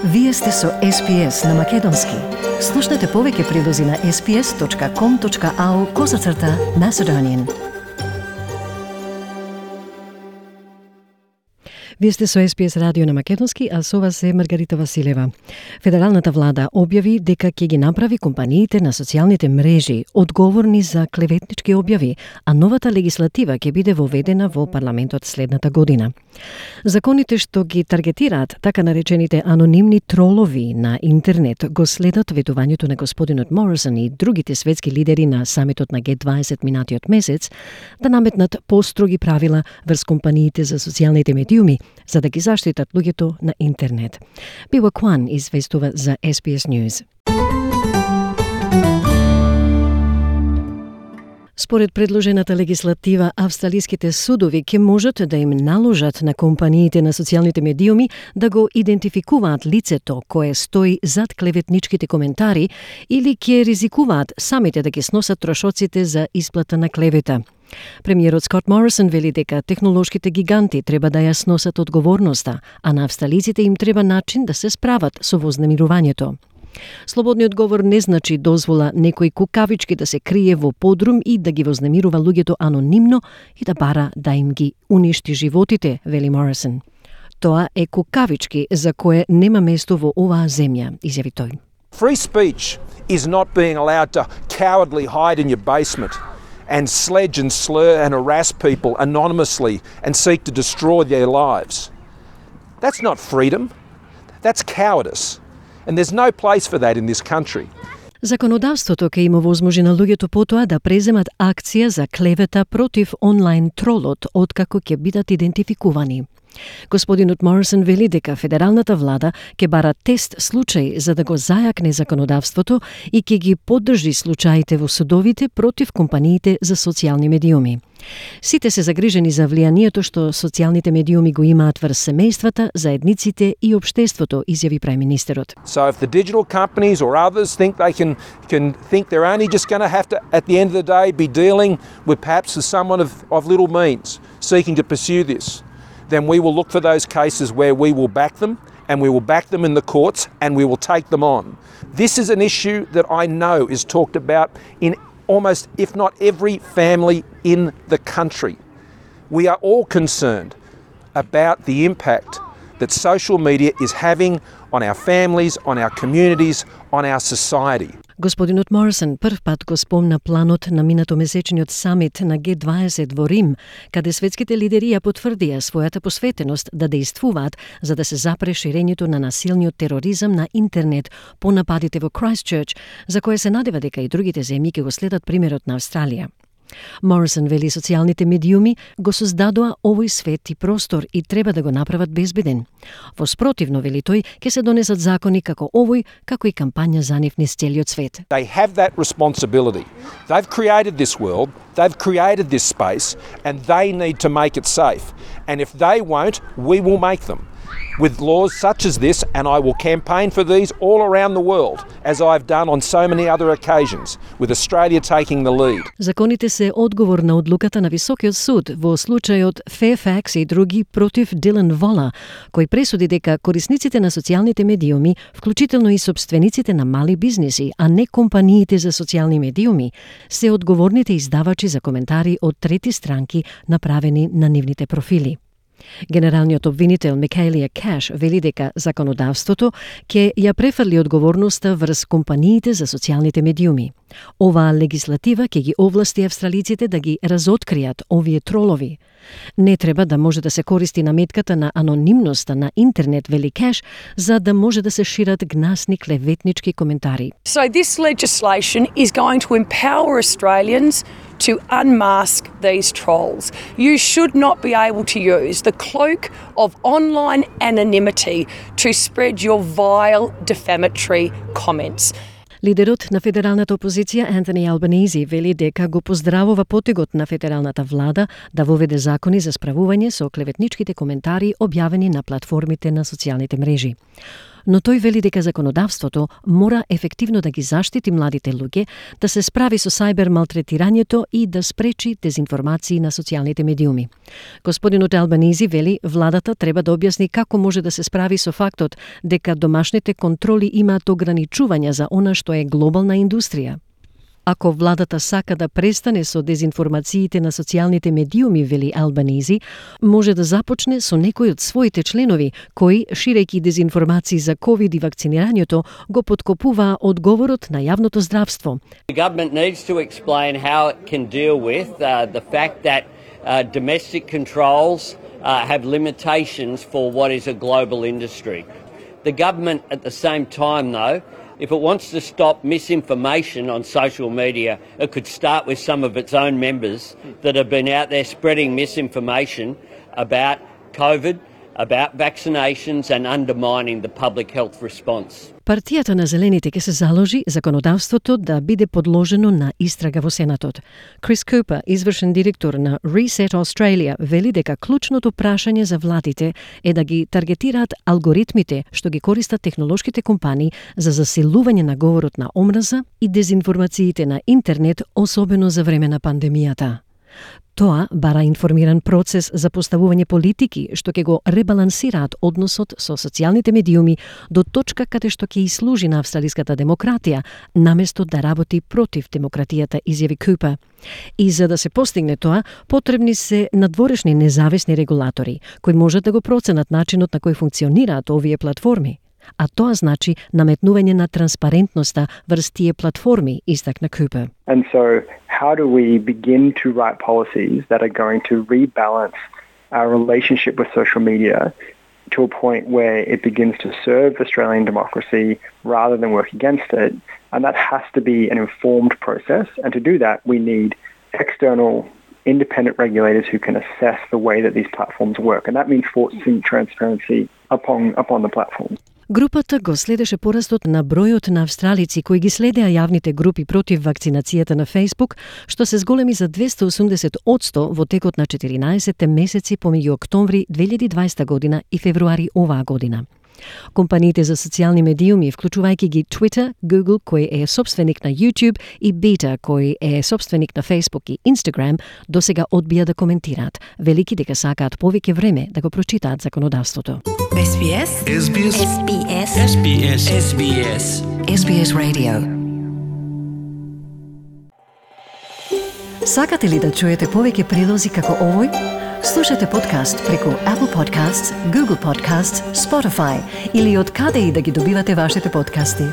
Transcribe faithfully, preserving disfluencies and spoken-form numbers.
Вие сте со Ес Би Ес на Македонски. Слушнете повеќе прилози на ес би ес точка ком точка ау козацрта Macedonian. Вие сте со Ес Би Ес радио на Македонски, а со вас е Маргарита Василева. Федералната влада објави дека ќе ги направи компаниите на социјалните мрежи одговорни за клеветнички објави, а новата легислатива ќе биде воведена во парламентот следната година. Законите што ги таргетираат така наречените анонимни тролови на интернет го следат ветувањето на господинот Морисон и другите светски лидери на самитот на Ге дваесет минатиот месец да наметнат построги правила врз компаниите за социјалните медиуми за да ги заштитат луѓето на интернет. Била Кван известува за Ес Би Ес News. Според предложената легислатива, австралиските судови ќе можат да им наложат на компаниите на социјалните медиуми да го идентификуваат лицето кое стои зад клеветничките коментари или ќе ризикуваат самите да ги сносат трошоците за исплата на клевета. Премиерот Скот Морисон вели дека технолошките гиганти треба да ја сносат одговорноста, а на австралиците им треба начин да се справат со вознемирувањето. Слободниот говор не значи дозвола некој кукавички да се крие во подрум и да ги вознемирува луѓето анонимно и да бара да им ги уништи животите, вели Морисон. Тоа е кукавички за кое нема место во оваа земја, изјави тој. Free speech is not being allowed to cowardly hide in your basement and sledge and slur and harass people anonymously and seek to destroy their lives. That's not freedom. That's cowardice. And there's no place for that in this country. Законодавството ќе им овозможи на луѓето потоа да преземат акција за клевета против онлайн тролот откако ќе бидат идентификувани. Господинот Морисон вели дека федералната влада ќе бара тест случај за да го зајакне законодавството и ќе ги поддржи случаите во судовите против компаниите за социјални медиуми. Сите се загрижени за влијанието што социјалните медиуми го имаат врз семејствата, заедниците и општеството, изјави премиерот. So if the digital companies or others think they can can think they're only just going to have to at the end of the day be dealing with perhaps with someone of of little means seeking to pursue this, then we will look for those cases where we will back them and we will back them in the courts and we will take them on. This is an issue that I know is talked about in almost, if not every family in the country. We are all concerned about the impact that social media is having on our families, on our communities, on our society. Господинот Морисон прв пат го спомна планот на минатомесечниот самит на Ге дваесет во Рим, каде светските лидери ја потврдија својата посветеност да действуваат за да се запре ширењето на насилниот тероризам на интернет по нападите во Крајстчерч, за кое се надева дека и другите земји ќе го следат примерот на Австралија. Морисон вели социјалните медиуми го создадоа овој свет и простор и треба да го направат безбеден. Во спротивно, вели тој, ќе се донесат закони како овој, како и кампања за нив низ целиот свет. They have that responsibility. They've created this world, they've created this space, and they need to make it safe. And if they won't, we will make them. With laws such as this, and I will campaign for these all around the world, as I've done on so many other occasions, with Australia taking the lead. Законите се одговор на одлуката на Високиот суд во случајот Fairfax и други против Дилан Вола, кој пресуди дека корисниците на социјалните медиуми, вклучително и собствениците на мали бизнеси, а не компаниите за социјални медиуми, се одговорните издавачи за коментари од трети странки направени на нивните профили. Генералниот обвинител Микаелија Каш вели дека законодавството ќе ја префрли одговорноста врз компаниите за социјалните медиуми. Оваа легислатива ќе ги овласти австралиците да ги разоткријат овие тролови. Не треба да може да се користи наметката на анонимноста на интернет, вели Каш, за да може да се шират гнасни клеветнички коментари. So this legislation is going to empower Australians to unmask these trolls. You should not be able to use the cloak of online anonymity to spread your vile defamatory comments. Лидерот на федералната опозиција Антони Албанези вели дека го поздравува потегот на федералната влада да воведе закони за справување со клеветничките коментари објавени на платформите на социјалните мрежи. Но тој вели дека законодавството мора ефективно да ги заштити младите луѓе, да се справи со сајбер малтретирањето и да спречи дезинформации на социјалните медиуми. Господинот Албанизи вели владата треба да објасни како може да се справи со фактот дека домашните контроли имаат ограничувања за она што е глобална индустрија. Ако владата сака да престане со дезинформациите на социјалните медиуми, вели Албанизи, може да започне со некои од своите членови, кои, ширејќи дезинформации за ковид и вакцинирањето, го подкопуваа одговорот на јавното здравство. The government needs to explain how it can deal with uh, the fact that uh, domestic controls uh, have limitations for what is a global industry. The government at the same time, though, if it wants to stop misinformation on social media, it could start with some of its own members that have been out there spreading misinformation about COVID, about vaccinations and undermining the public health response. Партијата на Зелените ќе се заложи законодавството да биде подложено на истрага во Сенатот. Крис Купер, извршен директор на Reset Australia, вели дека клучното прашање за владите е да ги таргетираат алгоритмите што ги користат технолошките компании за засилување на говорот на омраза и дезинформациите на интернет, особено за време на пандемијата. Тоа бара информиран процес за поставување политики што ќе го ребалансираат односот со социјалните медиуми до точка каде што ќе служи на австралиската демократија, наместо да работи против демократијата, изјави Купер. И за да се постигне тоа, потребни се надворешни независни регулатори, кои можат да го проценат начинот на кој функционираат овие платформи. А тоа значи наметнување на транспарентноста врз тие платформи, истакна Купер. And so how do we begin to write policies that are going to rebalance our relationship with social media to a point where it begins to serve Australian democracy rather than work against it? And that has to be an informed process. And to do that, we need external independent regulators who can assess the way that these platforms work. And that means forcing transparency upon, upon the platforms. Групата го следеше порастот на бројот на австралици кои ги следеа јавните групи против вакцинацијата на Facebook, што се зголеми за двесте и осумдесет одсто во текот на четиринаесет месеци помеѓу октомври две илјади и дваесета година и февруари оваа година. Компаниите за социјални медиуми, вклучувајќи ги Twitter, Google, кој е собственик на YouTube, и Beta, кој е собственик на Facebook и Instagram, досега одбија да коментираат, велики дека сакаат повеќе време да го прочитаат законодавството. Ес Би Ес Ес Би Ес Ес Би Ес Ес Би Ес Ес Би Ес Ес Би Ес Radio. Сакате ли да чуете повеќе прилози како овој? Слушате подкаст преку Apple Podcasts, Google Podcasts, Spotify или од каде и да ги добивате вашите подкасти.